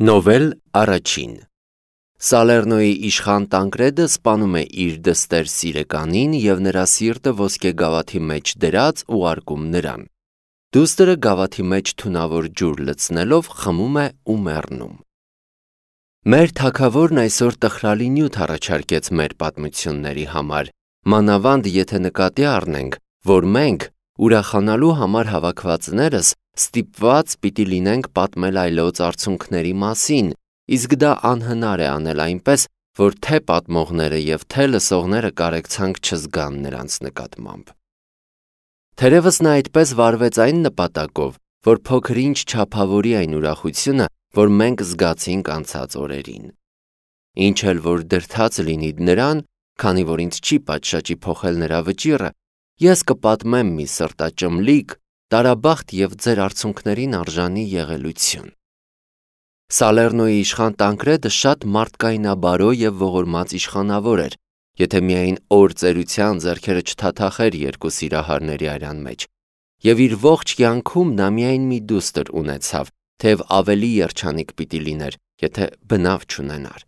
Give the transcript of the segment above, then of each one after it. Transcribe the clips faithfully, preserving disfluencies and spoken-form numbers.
Նովել առաջին Սալեռնոյի իշխան Տանկրեդը սպանում է իր դստեր Սիրեկանին և նրա սիրտը ոսկե գավաթի մեջ դրած ուղարկում նրան։ Դուստրը գավաթի մեջ թունավոր ջուր լցնելով խմում է ու մեռնում։ Մեր թագավորն այսօր տխրալի նյութ առաջարկեց մեր պատմությունների համար, մանավանդ եթե նկատի առնենք, որ մենք ուրախանալու համար հավաքվածներս ստիպված պիտի լինենք պատմել այլոց արցունքների մասին, իսկ դա անհնար է անել այնպես, որ թե պատմողները և թե լսողները կարեկցանք չզգան նրանց նկատմամբ։ Թերևս նա այդպես վարվեց այն նպատակով, որ փոքր-ինչ չափավորի այն ուրախությունը, որ մենք զգացինք անցած օրերին։ Ինչ էլ որ դրդած լինի նրան, քանի որ ինձ չի պատշաճի փոխել նրա վճիռը, ես կպատմեմ մի սրտաճմլիկ, տարաբախտ և ձեր արցունքներին արժանի եղելություն։ Սալեռնոյի իշխան Տանկրեդը շատ մարդկայնաբարո և ողորմած իշխանավոր էր, եթե միայն օր ծերության ձեռքերը չթաթախեր երկու սիրահարների արյան մեջ, և իր ողջ կյանքում նա միայն մի դուստր ունեցավ, թեև ավելի երջանիկ պիտի լիներ, եթե բնավ չունենար։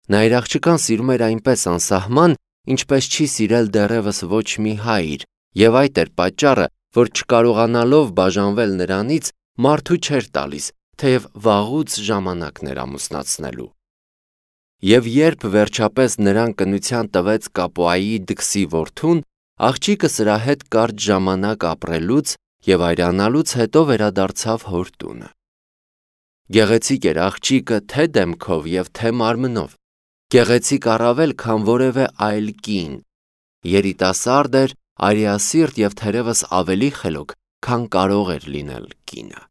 Նա իր աղջկան սիրում էր այնպես անսահման, ինչպես չի սիրել դեռևս ոչ մի հայր, և այդ էր պատճառը, որ չկարողանալով բաժանվել նրանից, մարդու չէր տալիս, թեև վաղուց ժամանակն էր ամուսնացնելու։ Եվ երբ վերջապես նրան կնության տվեց Կապուայի դքսի որդուն, աղջիկը սրա հետ կարճ ժամանակ ապրելուց և այրանալուց հետո վերադարձավ հոր տունը։ Գեղեցիկ էր աղջիկը թե դեմքով և թե մարմնով, գեղեցիկ առավել, քան որևէ այլ կին, երիտասարդ էր, արիասիրտ և թերևս ավելի խելոք, քան կարող էր լինել կինը։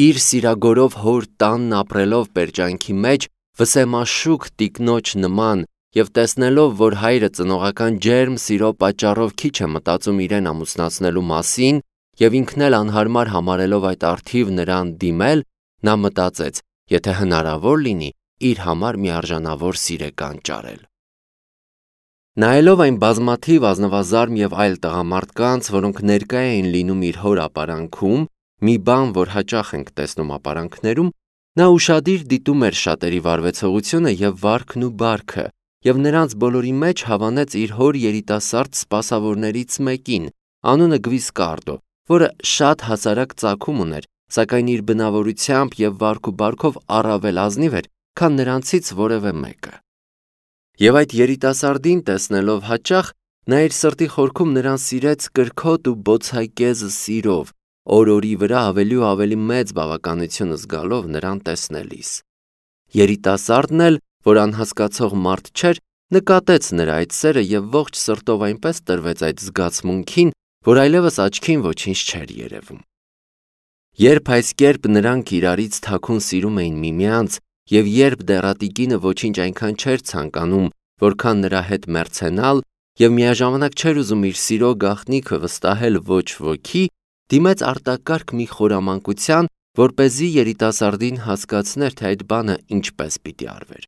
Իր սիրագորով հոր տանն ապրելով պերճանքի մեջ, վսեմաշուք տիկնոջ նման և տեսնելով, որ հայրը ծնողական ջերմ սիրո պատճառով քիչ է մտածում իրեն ամուսնացնելու մասին և ինքն էլ անհարմար համարելով այդ առթիվ նրան դիմել, նա մտածեց, եթե հնարավոր լինի, իր համար մի արժանավոր Սիրեկան ճարել։ Նայելով այն բազմաթիվ ազնվազարմ և այլ տղամարդկանց, որոնք ներկա էին լինում իր հոր ապարանքում, մի բան, որ հաճախ ենք տեսնում ապարանքներում, նա ուշադիր դիտում էր շատերի վարվեցողությունը և վարքն ու բարքը, և նրանց բոլորի մեջ հավանեց իր հոր երիտասարդ սպասավորներից մեկին, անունը Գվիսկարդո, որը շատ հասարակ ծագում ուներ, սակայն իր բնավորությամբ և վարք ու բարքով առավել ազնիվ էր, քան նրանցից որևէ մեկը։ Եվ այդ երիտասարդին տեսնելով հաճախ, նա իր սրտի խորքում նրան սիրեց կրքոտ ու բոցայկեզ սիրով, օր-օրի վրա ավելի ու ավելի մեծ բավականություն զգալով նրան տեսնելիս։ Երիտասարդն էլ, որ անհասկացող մարդ չէր, նկատեց նրա այդ սերը և ողջ սրտով այնպես տրվեց այդ զգացմունքին, որ այլևս աչքին ոչինչ չէր երևում։ Երբ այս կերպ նրանք իրարից թաքուն սիրում էին միմյանց, և երբ դեռատիկինը ոչինչ այնքան չէր ցանկանում, որքան նրա հետ մեռցենալ, և միաժամանակ չէր ուզում իր սիրո գաղտնիքը վստահել ոչ ոքի, դիմեց արտակարգ մի խորամանկության, որպեսզի երիտասարդին հասկացներ, թե այդ բանը ինչպես պիտի արվեր։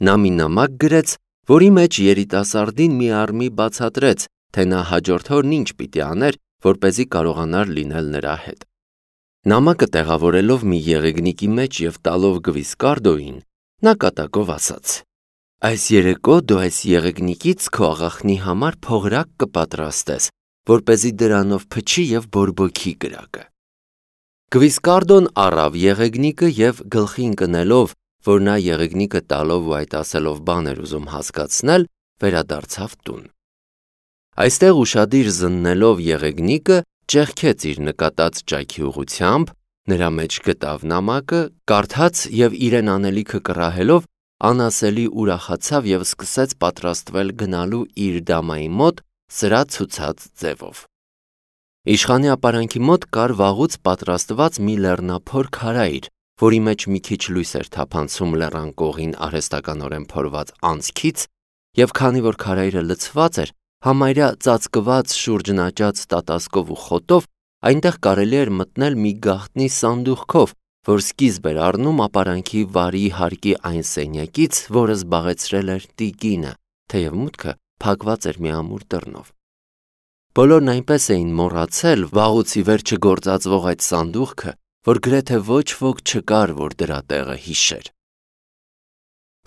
Նա մի նամակ գրեց, որի մեջ երիտասարդին մի առ մի բացատրեց, թե նա հաջորդ օրն ինչ պիտի աներ, որպեսզի կարողանար լինել նրա հետ։ Նամակը տեղավորելով մի եղեգնիկի մեջ և տալով Գվիսկարդոյին, նա կատակով ասաց. «Այս երեկո դու այս եղեգնիկից քո աղախնի համար փողրակ կպատրաստես, որպեսզի դրանով փչի և բորբոքի կրակը»։ Գվիսկարդոն առավ եղեգնիկը և գլխի ընկնելով, որ նա եղեգնիկը տալով ու այդ ասելով բան էր ուզում հասկացնել, վերադարձավ տուն։ Այստեղ ուշադիր զննելով եղեգնիկը, ճեղքեց իր նկատած ճայքի ուղղությամբ, նրա մեջ գտավ նամակը, կարդաց և իրեն անելիքը կռահելով, անասելի ուրախացավ և սկսեց պատրաստվել գնալու իր դամայի մոտ սրա ցուցած ձևով։ Իշխանի ապարանքի մոտ կար վաղուց պատրաստված մի լեռնափոր քարայր, որի մեջ մի քիչ լույս էր թափանցում լեռան կողին արհեստականորեն փորված անցքից, և քանի որ քարայրը լցված էր, համարյա ծածկված շուրջն աճած տատասկով ու խոտով, այնտեղ կարելի էր մտնել մի գաղտնի սանդուղքով, որ սկիզբ էր առնում ապարանքի վարի հարկի այն սենյակից, որը զբաղեցրել էր տիկինը, թեև մուտքը փակված էր մի ամուր դռնով։ Բոլորն այնպես էին մոռացել վաղուց ի վեր չգործածվող այդ սանդուղքը, որ գրեթե ոչ ոք չկար, որ դրա տեղը հիշեր։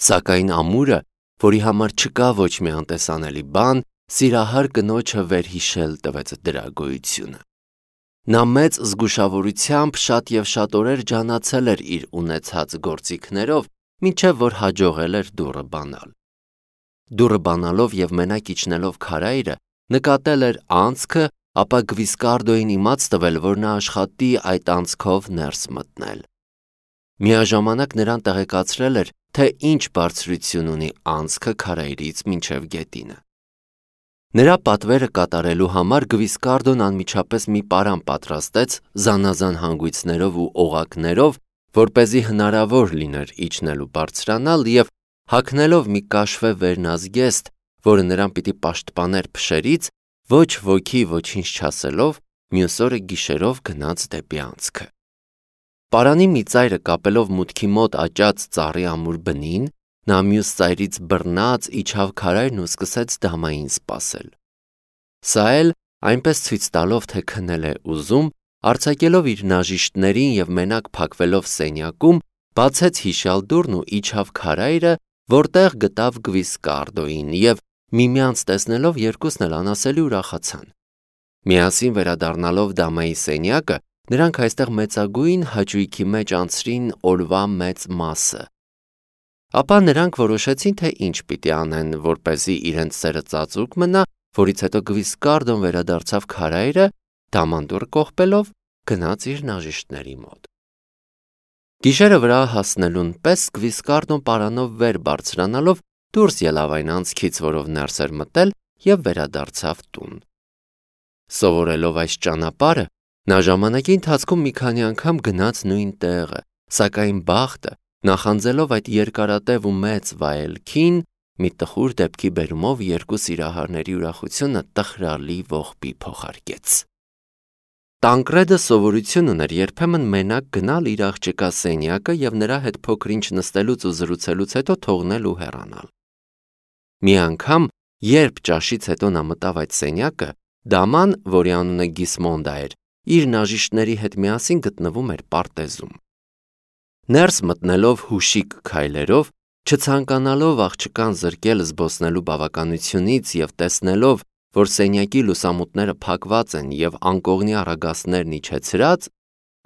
Սակայն ամուրը, որի համար չկա ոչ մի անտեսանելի բան, սիրահար կնոջը վերհիշել տվեց դրա գոյությունը։ Նա մեծ զգուշավորությամբ շատ և շատ օրեր ջանացել էր իր ունեցած գործիքներով, մինչև որ հաջողել էր դուռը բանալ։ Դուռը բանալով և մենակ իջնելով քարայրը, նկատել էր անցքը, ապա Գվիսկարդոյին իմաց տվել, որ նա աշխատի այդ անցքով ներս մտնել։ Միաժամանակ նրան տեղեկացրել էր, թե ինչ բարձրություն ունի անցքը քարայրից մինչև գետինը։ Նրա պատվերը կատարելու համար Գվիսկարդոն անմիջապես մի պարան պատրաստեց զանազան հանգույցներով ու օղակներով, որպեսզի հնարավոր լիներ իջնել ու բարձրանալ, և հագնելով մի կաշվե վերնազգեստ, որը նրան պիտի պաշտպաներ փշերից, ոչ ոքի ոչինչ չասելով, մյուս օրը գիշերով գնաց դեպի անցքը։ Պարանի մի ծայրը կապելով մուտքի մոտ աճած ծառի ամուր բնին, նա մյուս ծայրից բռնած իջավ քարայրն ու սկսեց դամային սպասել։ Սա էլ, այնպես ցույց տալով, թե քնել է ուզում, արձակելով իր նաժիշտներին և մենակ փակվելով սենյակում, բացեց հիշյալ դուռն ու իջավ քարայրը, որտեղ գտավ Գվիսկարդոյին, և միմյանց տեսնելով երկուսն էլ անասելի ուրախացան։ Միասին վերադառնալով դամայի սենյակը, նրանք այստեղ մեծագույն հաճույքի մեջ անցրին օրվա մեծ մասը։ Ապա նրանք որոշեցին, թե ինչ պիտի անեն, որպեսզի իրենց սերը ծածուկ մնա, որից հետո Գվիսկարդոն վերադարձավ քարայրը, դամանդուռը կողպելով գնաց իր նաժիշտների մոտ։ Գիշերը վրա հասնելուն պես Գվիսկարդոն պարանով վեր բարձրանալով դուրս ելավ այն անցքից, որով ներս էր մտել, և վերադարձավ տուն։ Սովորելով այս ճանապարհը, նա ժամանակի ընթացքում մի քանի անգամ գնաց նույն տեղը, սակայն բախտը, նախանձելով այդ երկարատև ու մեծ վայելքին, մի տխուր դեպքի բերումով երկու սիրահարների ուրախությունը տխրալի ողբի փոխարկեց։ Տանկրեդը սովորություն ուներ երբեմն մենակ գնալ իր աղջկա սենյակը և նրա հետ փոքր-ինչ նստելուց ու զրուցելուց հետո թողնել ու հեռանալ։ Մի անգամ, երբ ճաշից հետո նա մտավ այդ սենյակը, դաման, որի անունը Գիսմոնդա էր, իր նաժիշտների հետ միասին գտնվում էր պարտեզում։ Ներս մտնելով հուշիկ քայլերով, չցանկանալով աղջկան զրկել զբոսնելու բավականությունից և տեսնելով, որ սենյակի լուսամուտները փակված են և անկողնի առագաստներն իջեցրած,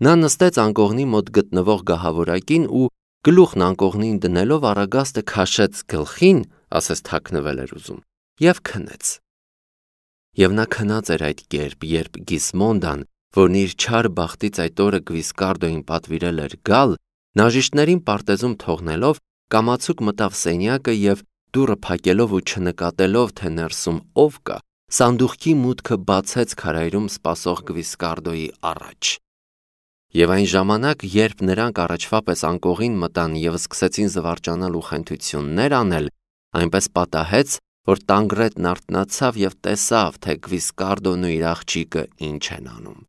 նա նստեց անկողնի մոտ գտնվող գահավորակին ու գլուխն անկողնին դնելով առագաստը քաշեց գլխին, ասես թաքնվել էր ուզում, և քնեց։ Եվ նա քնած էր այդ կերպ, երբ Գիսմոնդան, որն իր չար բախտից այդ օրը Գվիսկարդոյին պատվիրել էր գալ, նաժիշտներին պարտեզում թողնելով, կամացուկ մտավ սենյակը և դուռը փակելով ու չնկատելով, թե ներսում ով կա, սանդուղքի մուտքը բացեց քարայրում սպասող Գվիսկարդոյի առաջ։ Եվ այն ժամանակ, երբ նրանք առաջվա պես անկողին մտան և սկսեցին զվարճանալ ու խենթություններ անել, այնպես պատահեց, որ Տանկրեդն արթնացավ և տեսավ, թե Գվիսկարդոն ու իր աղջիկը ինչ են անում։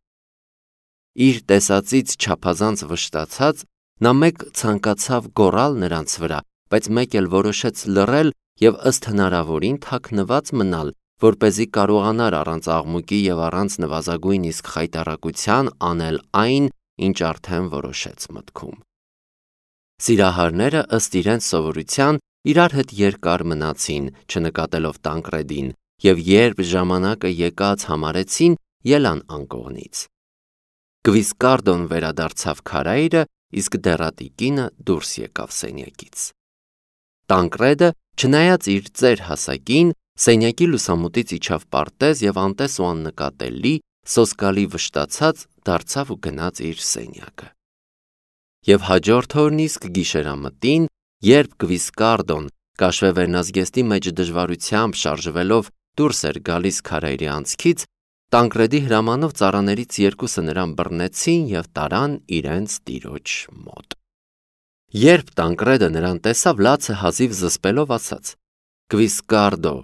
Իր տեսածից չափազանց վշտացած, նա մեկ ցանկացավ գոռալ նրանց վրա, բայց մեկ էլ որոշեց լռել և ըստ հնարավորին թաքնված մնալ, որպեսզի կարողանար առանց աղմուկի և առանց նվազագույն իսկ խայտառակության անել այն, ինչ արդեն որոշեց մտքում։ Սիրահարները ըստ իրենց սովորության իրար հետ երկար մնացին, չնկատելով Տանկրեդին, և երբ ժամանակը եկած համարեցին, ելան անկողնից։ Գվիսկարդոն վերադարձավ քարայրը, իսկ դեռատիկինը դուրս եկավ սենյակից։ Տանկրեդը, չնայած իր ծեր հասակին, սենյակի լուսամուտից իջավ պարտեզ և անտես ու աննկատելի, սոսկալի վշտացած, դարձավ ու գնաց իր սենյակը։ Եվ հաջորդ օրն իսկ գիշերամտին, երբ Գվիսկարդոն կաշվե վերնազգեստի մեջ դժվարությամբ շարժվելով դուրս էր գալիս քարայրի անցքից, Տանկրեդի հրամանով ծառաներից երկուսը նրան բռնեցին և տարան իրենց տիրոջ մոտ։ Երբ Տանկրեդը նրան տեսավ, լացը հազիվ զսպելով ասաց. «Գվիսկարդո,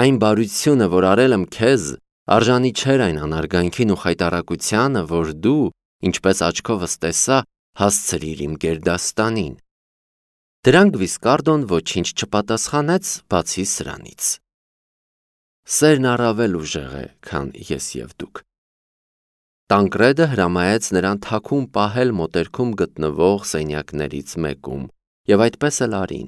այն բարությունը, որ արել եմ քեզ, արժանի չէր այն անարգանքին ու խայտառակությանը, որ դու, ինչպես աչքովս տեսա, հասցրիր իմ գերդաստանին»։ Դրան Գվիսկարդոն ոչինչ չպատասխանեց, բացի սրանից։ Սերն առավել ուժեղ է, քան ես և դուք։ Տանկրեդը հրամայեց նրան թաքուն պահել մոտերքում գտնվող սենյակներից մեկում, եւ այդպես էլ արին։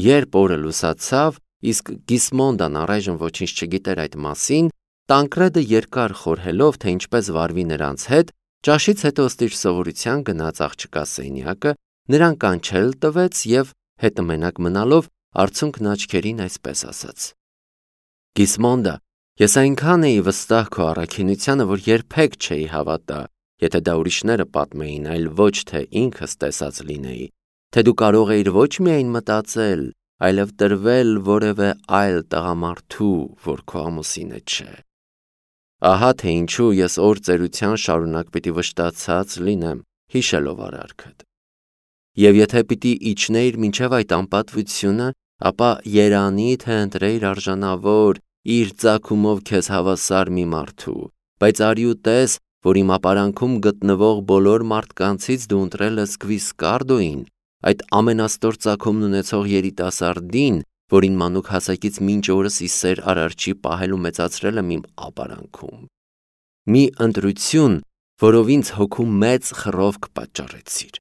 Երբ օրը լուսացավ, իսկ Գիսմոնդան առայժմ ոչինչ չգիտեր այդ մասին, Տանկրեդը երկար խորհելով, թե ինչպես վարվի նրանց հետ, ճաշից հետո ըստ իր սովորության գնաց աղջկա սենյակը, նրան կանչել տվեց եւ հետը մենակ մնալով արցունքն աչքերին այսպես ասաց. Գիսմոնդա, ես այնքան էի վստահ քո առաքինությանը, որ երբեք չէի հավատա, եթե դա ուրիշները պատմեին, այլ ոչ թե ինքս տեսած լինեի, թե դու կարող էիր ոչ միայն մտածել, այլև տրվել որևէ այլ տղամարդու, որ քո ամուսինը չէ։ Ահա թե ինչու ես օր ծերության շարունակ պիտի վշտացած լինեմ, հիշելով արարքդ։ Եվ եթե պիտի իջնեիր մինչև այդ անպատվությունը, ապա երանի թե ընտրեիր արժանավոր, իր ծագումով քեզ հավասար մի մարդու, բայց արի ու տես, որ իմ ապարանքում գտնվող բոլոր մարդկանցից դու ընտրել ես Գվիսկարդոին, այդ ամենաստոր ծագումն ունեցող երիտասարդին, որին մանուկ հասակից մինչ օրս ի սեր արարչի պահել ու մեծացրել եմ իմ ապարանքում։ Մի ընտրություն, որով ինձ հոգու մեծ խռովք պատճառեցիր։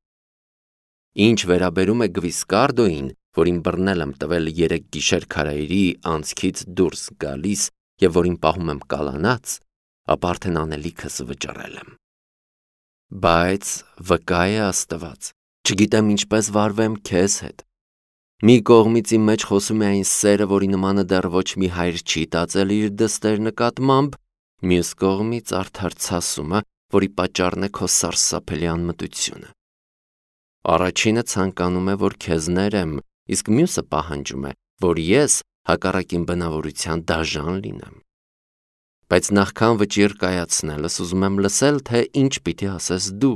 Ինչ վերաբերում է Գվիսկարդոին, որին բռնել եմ տվել երեք գիշեր քարայրի անցքից դուրս գալիս եւ որին պահում եմ կալանած, ապա արդեն անելիքս վճռել եմ։ Բայց վկա է Աստված, չգիտեմ ինչպես վարվեմ քեզ հետ։ Մի կողմից իմ մեջ խոսում է այն սերը, որի նմանը դեռ ոչ մի հայր չի տածել իր դստեր նկատմամբ, մյուս կողմից արդար ցասումը, որի պատճառն է քո սարսափելի անմտությունը։ Առաջինը ցանկանում է, որ քեզ ներեմ, իսկ մյուսը պահանջում է, որ ես հակառակ իմ բնավորության դաժան լինեմ։ Բայց նախքան վճիռ կայացնելս ուզում եմ լսել, թե ինչ պիտի ասես դու։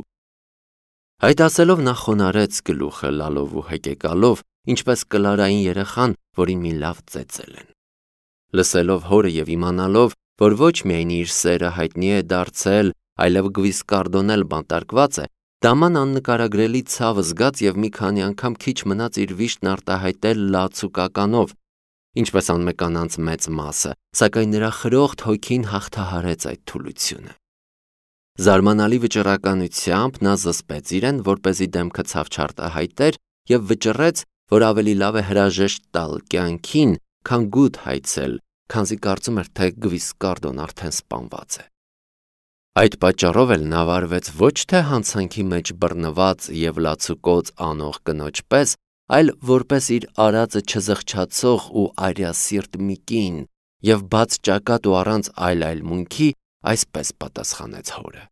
Այդ ասելով նա խոնարհեց գլուխը լալով ու հեկեկալով, ինչպես կլարային երեխան, որին մի լավ ծեծել են։ Լսելով հորը եւ իմանալով, որ ոչ միայն իր սերը հայտնի է դարձել, այլև Գվիսկարդոն էլ բանտարկված է, Դաման աննկարագրելի ցավ զգաց եւ մի քանի անգամ քիչ մնաց իր վիշտն արտահայտել լաց ու կականով, ինչպես անմեկանանց մեծ մասը, սակայն նրա խրոխտ հոգին հաղթահարեց այդ թուլությունը։ Զարմանալի վճռականությամբ նա զսպեց իրեն, որպեսզի դեմքը ցավ չարտահայտեր եւ վճռեց, որ ավելի լավ է հրաժեշտ տալ կյանքին, քան գութ հայցել, քանզի կարծում էր, թե Գվիսկարդոն արդեն սպանված է։ Այդ պատճառով էլ նա վարվեց ոչ թե հանցանքի մեջ բռնված եւ լացուկոծ անող կնոջ պես, այլ որպես իր արածը չզղջացող ու արյասիրտ մի կին, եւ բաց ճակատ ու առանց այլ այլ մունքի այսպես պատասխանեց հորը.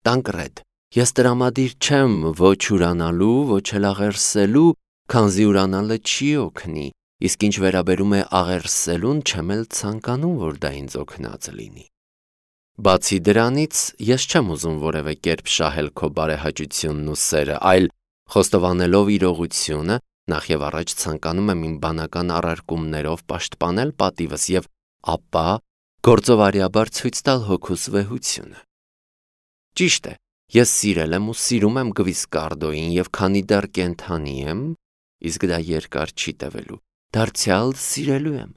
Տանկրեդ, ես տրամադիր չեմ ոչ ուրանալու, ոչ էլ աղերսելու, քանզի ուրանալը չի օգնի, իսկ ինչ վերաբերում է աղերսելուն, չեմ էլ ցանկանում, որ դա ինձ օգնած լինի։ Բացի դրանից, ես չեմ ուզում որևէ կերպ շահել քո բարեհաճությունն ու սերը, այլ խոստովանելով իրողությունը, նախ եւ առաջ ցանկանում եմ իմ բանական առարկումներով պաշտպանել պատիվս եւ ապա գործովարիաբար ցույց տալ հոգուս վեհությունը։ Ճիշտ է, ես սիրել եմ ու սիրում եմ Գվիսկարդոին եւ քանի դեռ կենդանի եմ, իսկ դա երկար չի տևելու, դարձյալ սիրելու եմ։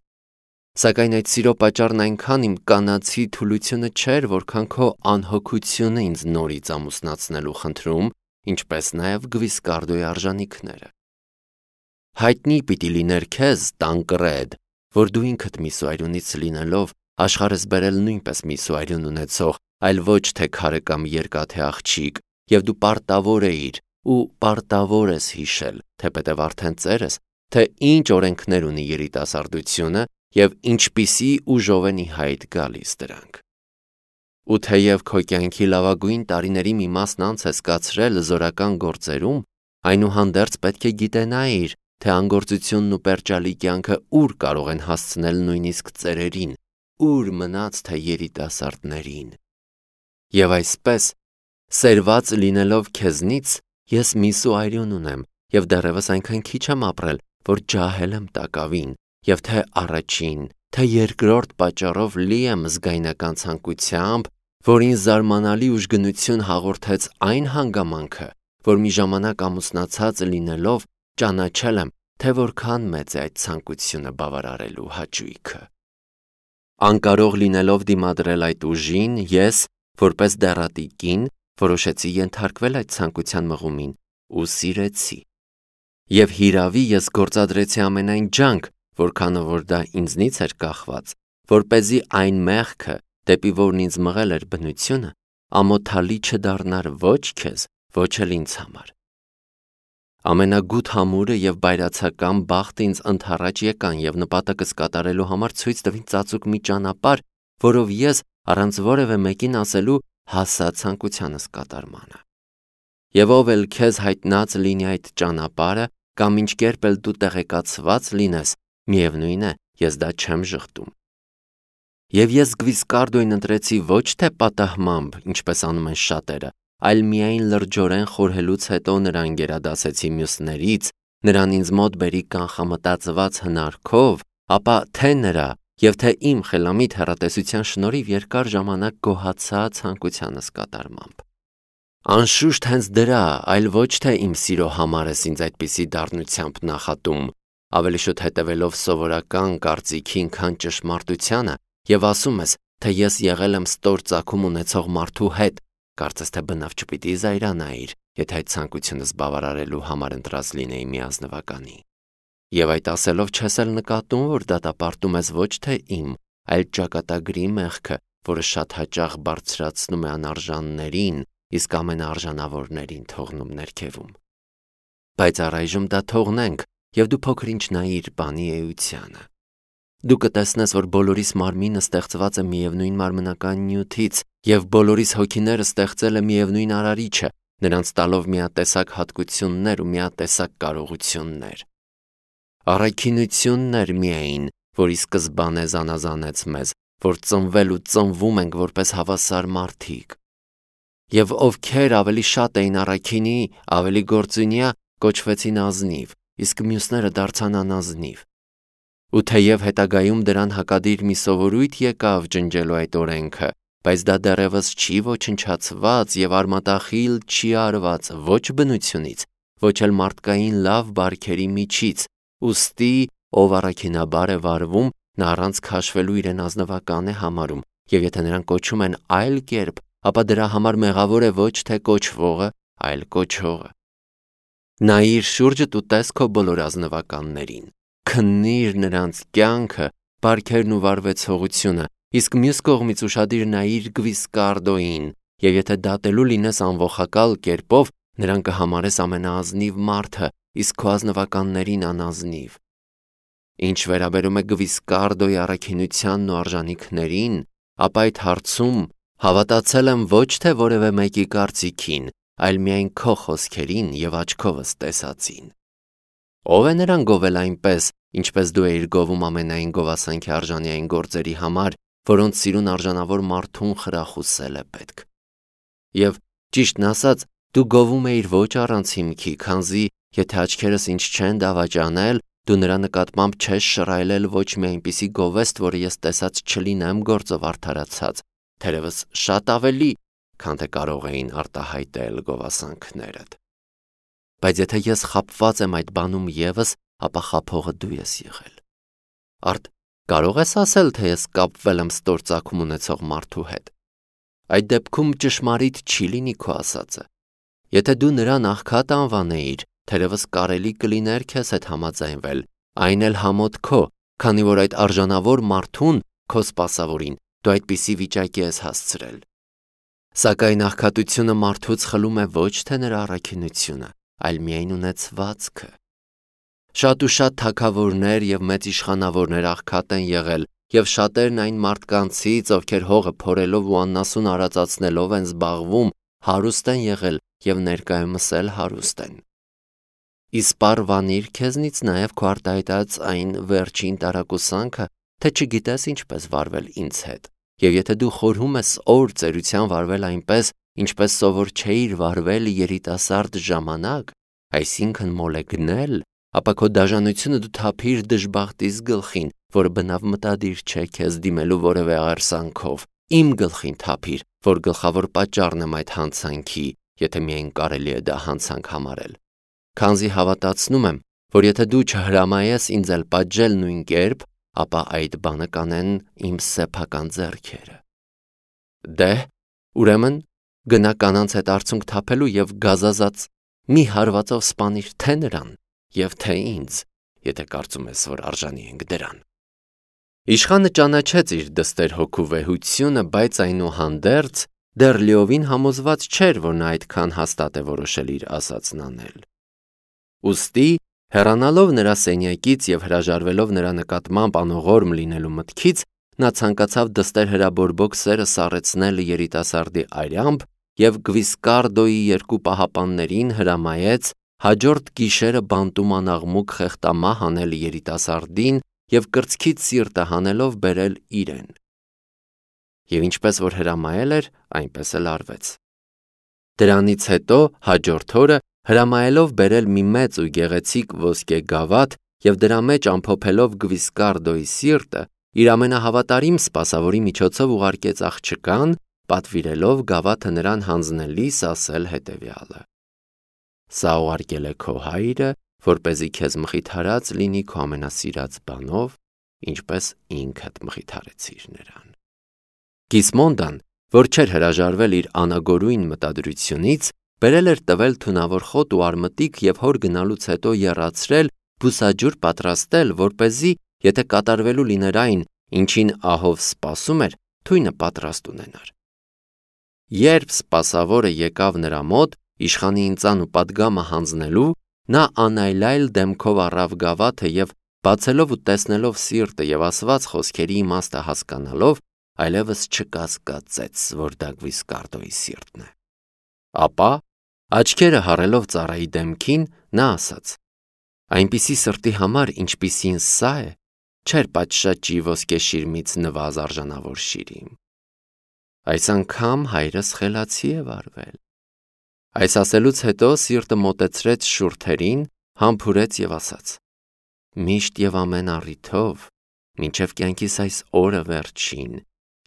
Սակայն այդ սիրո պատճառն այնքան իմ կանացի թուլությունը չէր, որքան քո անհոգությունը ինձ նորից ամուսնացնելու խնդրում, ինչպես նաև Գվիսկարդոյի արժանինքները։ Հայտնի պիտի լիներ քեզ, Տանկրեդ, որ դու ինքդ Միսուայրյունից լինելով աշխարհս բերել նույնպես Միսուայրյուն ունեցող, այլ ոչ թե քարը կամ երկաթե աղջիկ, եւ դու պարտավոր էիր ու պարտավոր ես հիշել, թեպետև արդեն ծերես, թե ինչ օրենքներ ունի երիտասարդությունը եւ ինչպիսի ուժով են ի հայտ գալիս դրանք։ Ու թեև քո կյանքի լավագույն տարիների մի մասն անց ես կացրել զորական գործերում, այնուհանդերձ պետք է գիտենայիր, թե անգործությունն ու պերճալի կյանքը ուր կարող են հասցնել նույնիսկ ծերերին, ուր մնաց թե երիտասարդներին։ Եվ այսպես, սերված լինելով քեզնից, ես Միսուայրյուն ունեմ եւ դեռևս այնքան քիչ եմ ապրել, որ ջահել եմ տակավին, եւ թե առաջին, թե երկրորդ պատճառով լի եմ զգայնական ցանկությամբ, որին զարմանալի ուժգնություն հաղորդեց այն հանգամանքը, որ մի ժամանակ ամուսնացած լինելով ճանաչել եմ, թե որքան մեծ է այդ ցանկությունը բավարարելու հաճույքը։ Անկարող լինելով դիմադրել այդ ուժին, ես, որպես դեռատի կին, որոշեցի ենթարկվել այդ ցանկության մղումին ու սիրեցի։ Եվ հիրավի ես գործադրեցի ամենայն ջանք, որքանով որ դա ինձնից էր կախված, որպեսզի այն մեղքը, դեպի որն ինձ մղել էր բնությունը, ամոթալի չդառնար ոչ քեզ, ոչ էլ ինձ համար։ Ամենագութ համուրը եւ բայրացական բախտը ինձ ընդառաջ եկան եւ նպատակս կատարելու համար ցույց տվին ծածուկ մի ճանապարհ, որով ես առանց որևէ մեկին ասելու հասա ցանկությանս կատարմանը։ Եվ ով էլ քեզ հայտնած լինի այդ ճանապարհը, կամ ինչ կերպ էլ դու տեղեկացված լինես, միևնույն է, ես դա չեմ ժխտում։ Եվ ես Գվիսկարդոյին ընտրեցի ոչ թե պատահմամբ, ինչպես անում են շատերը, այլ միայն լրջորեն խորհելուց հետո նրան գերադասեցի մյուսներից, նրան ինձ մոտ բերի կանխամտածված հնարքով, ապա թե նրա եւ թե իմ խելամիտ հեռատեսության շնորհիվ երկար ժամանակ գոհացա ցանկությանս կատարմամբ։ Անշուշտ հենց դրա, այլ ոչ թե իմ սիրո համար ես ինձ այդպիսի դառնությամբ նախատում, ավելի շուտ հետևելով սովորական կարծիքին, քան ճշմարտությանը, եւ ասում ես, թե ես եղել եմ ստոր ծագում ունեցող մարդու հետ, կարծես թե բնավ չպիտի զայրանայիր, եթե այդ ցանկությունս բավարարելու համար ընտրած լինեի մի ազնվականի։ Եվ այդ ասելով չես էլ նկատում, որ դատապարտում ես ոչ թե իմ, այլ ճակատագրի մեղքը, որը շատ հաճախ բարձրացնում է անարժաններին, իսկ ամենաարժանավորներին թողնում ներքևում։ Բայց առայժմ դա թողնենք, եւ դու փոքր-ինչ նայիր բանի էությանը։ Դու կտեսնես, որ բոլորիս մարմինը ստեղծված է միևնույն մարմնական նյութից, եւ բոլորիս հոգիները ստեղծել է միևնույն արարիչը, նրանց տալով միատեսակ հատկություններ ու միատեսակ կարողություններ։ Առաքինությունն էր միայն, որի սկզբանե զանազանեց մեզ, որ ծնվել ու ծնվում ենք որպես հավասար մարդիկ։ Եվ ովքեր ավելի շատ էին առաքինի, ավելի գործունյա, կոչվեցին ազնիվ, իսկ մյուսները դարձան անազնիվ։ Ու թեև հետագայում դրան հակադիր մի սովորույթ եկավ ջնջելու այդ օրենքը, բայց դա դեռևս չի ոչնչացված եւ արմատախիլ չի արված ոչ բնությունից, ոչ էլ մարդկային լավ բարքերի միջից, ուստի ով առաքինաբար է վարվում, նա առանց քաշվելու իրեն ազնվական է համարում, եւ եթե նրան կոչում են այլ կերպ, ապա դրա համար մեղավոր է ոչ թե կոչվողը, այլ կոչողը։ Նայիր շուրջդ ու տես քո բոլոր ազնվականներին, քննիր նրանց կյանքը, բարքերն ու վարվեցողությունը, իսկ մյուս կողմից ուշադիր նայիր Գվիսկարդոյին, եւ եթե դատելու լինես անողակալ կերպով, նրան կհամարես ամենաազնիվ մարդը, իսկ քո ազնվականներին անազնիվ։ Ինչ վերաբերում է Գվիսկարդոյի առաքինությանն ու արժանիքներին, ապա այդ հարցում հավատացել եմ ոչ թե որևէ մեկի կարծիքին, այլ միայն քո խոսքերին եւ աչքովս տեսածին։ Ո՞վ է նրան գովել այնպես, ինչպես դու էիր գովում ամենայն գովասանքի արժանային գործերի համար, որոնց սիրուն արժանավոր մարդուն խրախուսել է պետք։ Եվ ճիշտն ասած, դու գովում էիր ոչ առանց հիմքի, քանզի եթե աչքերս ինձ չեն դավաճանել, դու նրա նկատմամբ չես շռայլել ոչ մի այնպիսի գովեստ, որը ես տեսած չլինեմ գործով արդարացած, թերևս շատ ավելի, քան թե կարող էին արտահայտել գովասանքներդ։ Բայց եթե ես խաբված եմ այդ բանում եւս, ապա խաբողը դու ես եղել։ Արդ կարող ես ասել, թե ես կապվել եմ ստոր ծագում ունեցող մարդու հետ։ Այդ դեպքում ճշմարիտ չի լինի քո ասածը։ Եթե դու նրան աղքատ անվանեիր, թերևս կարելի կլիներ քեզ հետ համաձայնվել, այն էլ համոտ քո, քանի որ այդ արժանավոր մարդուն, քո սպասավորին, դու այդպիսի վիճակի ես հասցրել։ Սակայն աղքատությունը մարդուց խլում է ոչ թե նրա առաքինությունը, այլ միայն ունեցվածքը։ Շատ ու շատ թագավորներ եւ մեծ իշխանավորներ աղքատ են եղել, եւ շատերն այն մարդկանցից, ովքեր հողը փորելով ու աննասուն արածացնելով են զբաղվում, հարուստ են եղել եւ ներկայումս էլ հարուստ են։ Իսպառ վանիր քեզնից նաեւ քո արտահայտած այն վերջին տարակուսանքը, թե չգիտես ինչպես վարվել ինձ հետ։ Եվ եթե դու խորհում ես օր ծերության վարվել այնպես, ինչպես սովոր չէիր վարվել երիտասարդ ժամանակ, այսինքն մոլեգնել, ապա քո դաժանությունը դու թափիր դժբախտիս գլխին, որը բնավ մտադիր չէ քեզ դիմելու որևէ աղերսանքով, իմ գլխին թափիր, որ գլխավոր պատճառն եմ այդ հանցանքի, եթե միայն կարելի է դա հանցանք համարել։ Քանզի հավատացնում եմ, որ եթե դու չհրամայես ինձ էլ պատժել նույն կերպ, ապա այդ բանը կանեն իմ սեփական ձեռքերը։ Դե, Ուրեմն գնա կանանց հետ արցունք թափելու եւ գազազած մի հարվածով սպանիր թե նրան եւ թե ինձ, եթե կարծում ես, որ արժանի ենք դրան։ Իշխանը ճանաչեց իր դստեր հոգու վեհությունը, բայց այնուհանդերձ դեռ լիովին համոզված չէր, որ նա այդքան հաստատ է որոշել իր ասածն անել։ Ուստի, հեռանալով նրա սենյակից եւ հրաժարվելով նրա նկատմամբ անողորմ լինելու մտքից, նա ցանկացավ դստեր հրաբորբոք սերը սառեցնել երիտասարդի արյամբ եւ Գվիսկարդոյի երկու պահապաններին հրամայեց հաջորդ գիշերը բանտում անաղմուկ խեղտամահ անել երիտասարդին եւ կրծքից սիրտը հանելով բերել իրեն։ Եվ ինչպես որ հրամայել էր, այնպես էլ արվեց։ Դրանից հետո հաջորդ օրը հրամայելով բերել մի մեծ ու գեղեցիկ ոսկե գավաթ եւ դրա մեջ ամփոփելով Գվիսկարդոյի սիրտը, իր ամենահավատարիմ սպասավորի միջոցով ուղարկեց աղջկան, պատվիրելով գավաթը նրան հանձնելիս ասել հետևյալը. «Սա ուղարկել է քո հայրը, որպեսզի քեզ մխիթարած լինի քո ամենասիրած բանով, ինչպես ինքդ մխիթարեցիր նրան»։ Կիսմոնդան, որ չէր հրաժարվել իր անագորույն մտադրությունից, բերել էր տվել թունավոր խոտ ու արմտիկ եւ հոր գնալուց հետո եռացրել, բուսաջուր պատրաստել, որպեսզի, եթե կատարվելու լիներ այն, ինչին ահով սպասում էր, թույնը պատրաստ ունենար։ Երբ սպասավորը եկավ նրա մոտ, իշխանի ինծան ու պատգամը հանձնելու, նա անայլայլ դեմքով առավ գավաթը եւ բացելով ու տեսնելով սիրտը եւ ասված խոսքերի իմաստը հասկանալով, այլևս չկասկածեց, որ դա Գվիսկարդոյի սիրտն է։ Ապա, աչքերը հառելով ծառայի դեմքին, նա ասաց. «Այնպիսի սրտի համար, ինչպիսին սա է, չէր պատշաճի ոսկե շիրմից նվազ արժանավոր շիրի։ Այս անգամ հայրս խելացի է վարվել»։ Այս ասելուց հետո սիրտը մոտեցրեց շուրթերին, համբուրեց եւ ասաց. «Միշտ եւ ամեն առիթով, մինչեւ կյանքիս այս օրը վերջին,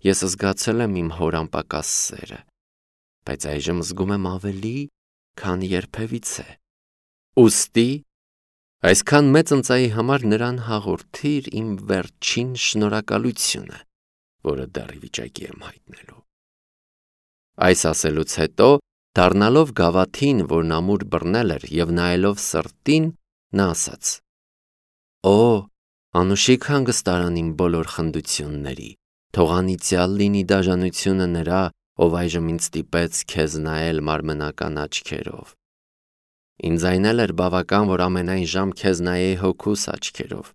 ես զգացել եմ իմ հոր անպակաս սերը, բայց այժմ զգում եմ ավելի, քան երբևիցե։ Ուստի, այսքան մեծ ընծայի համար նրան հաղորդիր իմ վերջին շնորհակալությունը, որը դեռ ի վիճակի եմ հայտնելու»։ Այս ասելուց հետո, դառնալով գավաթին, որն ամուր բռնել էր, եւ նայելով սրտին, նա ասաց. «Օ, անուշիկ հանգստարան իմ բոլոր խնդությունների, թող անիծյալ լինի դաժանությունը նրա, ով այժմ ինձ ստիպեց քեզ նայել մարմնական աչքերով։ Ինձ այն էլ էր բավական, որ ամենայն ժամ քեզ նայեի հոգուս աչքերով։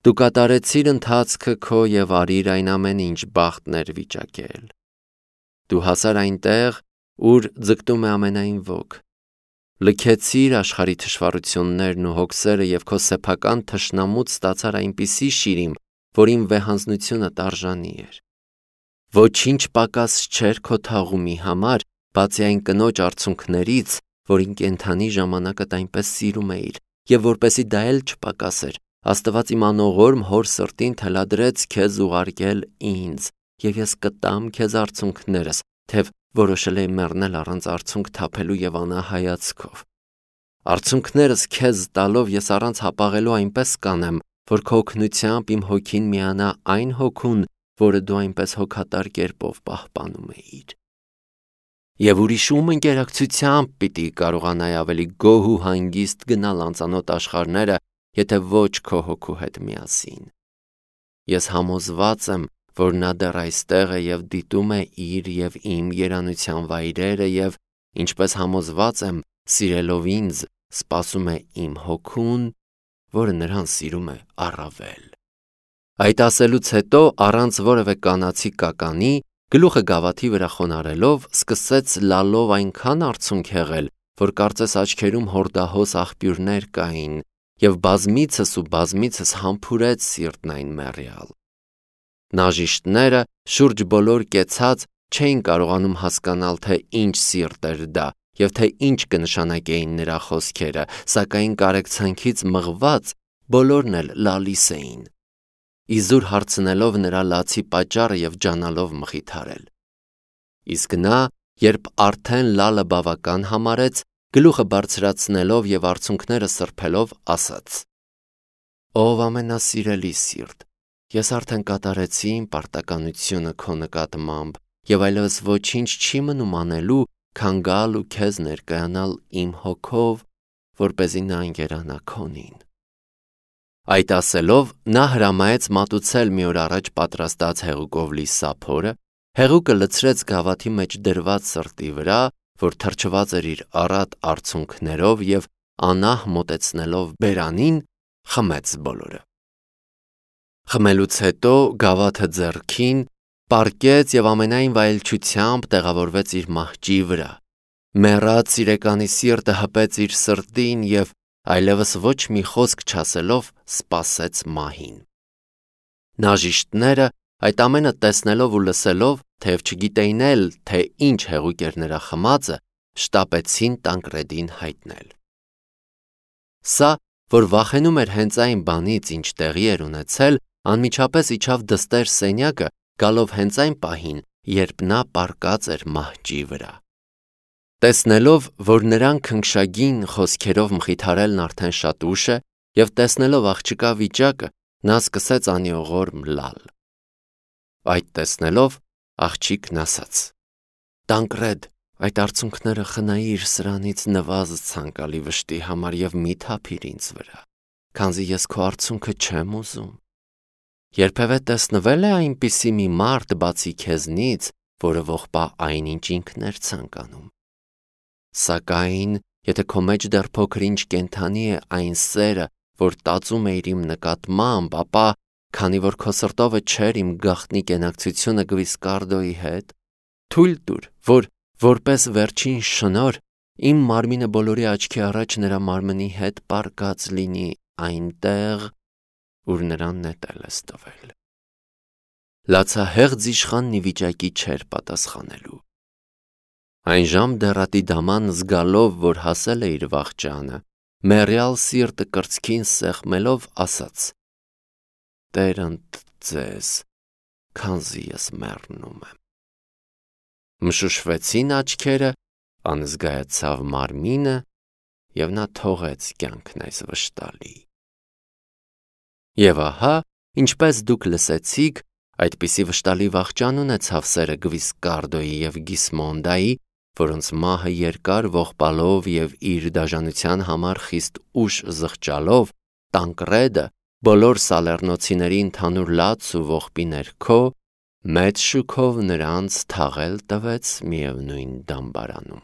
Դու կատարեցիր ընթացքը քո եւ արիր այն ամեն ինչ բախտն էր վիճակել։ Դու հասար այնտեղ, ուր ձգտում է ամենայն ոք։ Լքեցիր աշխարհի թշվառություններն ու հոգսերը եւ քո սեփական թշնամուց ստացար այնպիսի շիրիմ, որին վեհանձնությունը տարժանի էր։ Ոչինչ պակաս չէր քո թաղումի համար, բացի այն կնոջ արցունքներից, որին կենթանի ժամանակդ այնպես սիրում էիր, եւ որպեսի դա էլ չպակասեր, Աստված իմ անողորմ հոր սրտին թելադրեց քեզ ուղարկել ինձ, եւ ես կտամ քեզ արցունքներս, թեև որոշել էի մեռնել առանց արցունք թափելու եւ անահայացքով։ Արցունքներս քեզ տալով ես առանց հապաղելու այնպես կանեմ, որ քո օգնությամբ իմ հոգին միանա այն հոգուն, որը դու այնպես հոգատար կերպով պահպանում էիր։ Եվ ուրիշ ում ընկերակցությամբ պիտի կարողանայի ավելի գոհ ու հանգիստ գնալ անծանոթ աշխարհները, եթե ոչ քո հոգու հետ միասին։ Ես համոզված եմ, որ նա դեռ այստեղ է եւ դիտում է իր եւ իմ երանության վայրերը եւ, ինչպես համոզված եմ, սիրելով ինձ, սպասում է իմ հոգուն, որը նրան սիրում է առավել։ Այդ ասելուց հետո, առանց որևէ կանացի կականի, գլուխը գավաթի վրա խոնարելով, սկսեց լալով այնքան արցունք հեղել, որ կարծես աչքերում հորդահոս աղբյուրներ կային, եւ բազմիցս ու բազմիցս համբուրեց սիրտն այն մեռյալ։ Նաժիշտները շուրջ բոլոր կեցած չէին կարողանում հասկանալ, թե ինչ սիրտ էր դա եւ թե ինչ կնշանակեին նրա խոսքերը, սակայն կարեկցանքից մղված բոլորն էլ լալիս էին, իզուր հարցնելով նրա լացի պատճառը եւ ջանալով մխիթարել։ Իսկ նա, երբ արդեն լալը բավական համարեց, գլուխը բարձրացնելով եւ արցունքները սրբելով, ասաց. «Ով ամենասիրելի սիրտ, ես արդեն կատարեցի իմ պարտականությունը քո նկատմամբ եւ այլևս ոչինչ չի մնում անելու, քան գալ ու քեզ ներկայանալ իմ հոգով, որպեսզի նա ընկերանա քոնին։ Այդ ասելով նա հրամայեց մատուցել մի օր առաջ պատրաստած հեղուկով լի սափորը, հեղուկը լցրեց գավաթի մեջ դրված սրտի վրա, որ թրջված էր իր առատ արցունքներով եւ անահ մոտեցնելով բերանին, խմեց բոլորը։ Խմելուց հետո գավաթը ձեռքին պառկեց եւ ամենայն վայելչությամբ տեղավորվեց իր մահճի վրա։ Մեռած սիրեկանի սիրտը հպեց իր սրտին եւ այլևս ոչ մի խոսք չասելով սպասեց մահին։ Նաժիշտները այդ ամենը տեսնելով ու լսելով, թեև չգիտեին էլ, թե ինչ հեղուկ էր նրա խմածը, շտապեցին Տանկրեդին հայտնել։ Սա, որ վախենում էր հենց այն բանից, ինչ տեղի էր ունեցել, անմիջապես իջավ դստեր սենյակը, գալով հենց այն պահին, երբ նա պառկած էր մահճի վրա։ Տեսնելով, որ նրան քնքշագին խոսքերով մխիթարելն արդեն շատ ուշ է, եւ տեսնելով աղջկա վիճակը, նա սկսեց անիողորմ լալ։ Այդ տեսնելով աղջիկն ասաց. «Տանկրեդ, այդ արցունքները խնայիր սրանից նվազդ ցանկալի վշտի համար եւ մի թափիր ինձ վրա, քանզի ես քո արցունքը չեմ ուզում։ Երբևէ տեսնվել է այնպիսի մի մարդ բացի քեզնից, որը ողբա այնինչ ինքն էր ցանկանում։ Սակայն, եթե քո մեջ դեռ փոքր-ինչ կենդանի է այն սերը, որ տածում էիր իմ նկատմամբ, ապա, քանի որ քո սրտովը չէր իմ գաղտնի կենակցությունը Գվիսկարդոյի հետ, թույլ տուր, որ որպես վերջին շնոր իմ մարմինը բոլորի աչքի առաջ նրա մարմնի հետ պառկած լինի այնտեղ, ուր նրան նետել ես տվել»։ Լացահեղձ իշխանն ի վիճակի չէր պատասխանելու։ Այն ժամ դեռատի դաման զգալով, որ հասել է իր վախճանը, մեռյալ սիրտը կրծքին սեղմելով ասաց. «Տեր ընդ ձեզ, քանզի ես մեռնում եմ»։ Մշուշվեցին աչքերը, անզգայացավ մարմինը, եւ նա թողեց կյանքն այս վշտալի։ Եվ ահա, ինչպես դուք լսեցիք, այդպիսի վշտալի վախճան ունեցավ սերը Գվիսկարդոյի եւ Գիսմոնդայի, որոնց մահը երկար ողբալով եւ իր դաժանության համար խիստ ուշ զղջալով, Տանկրեդը բոլոր սալեռնոցիների ընդհանուր լաց ու ողբի ներքո մեծ շուքով նրանց թաղել տվեց միևնույն դամբարանում։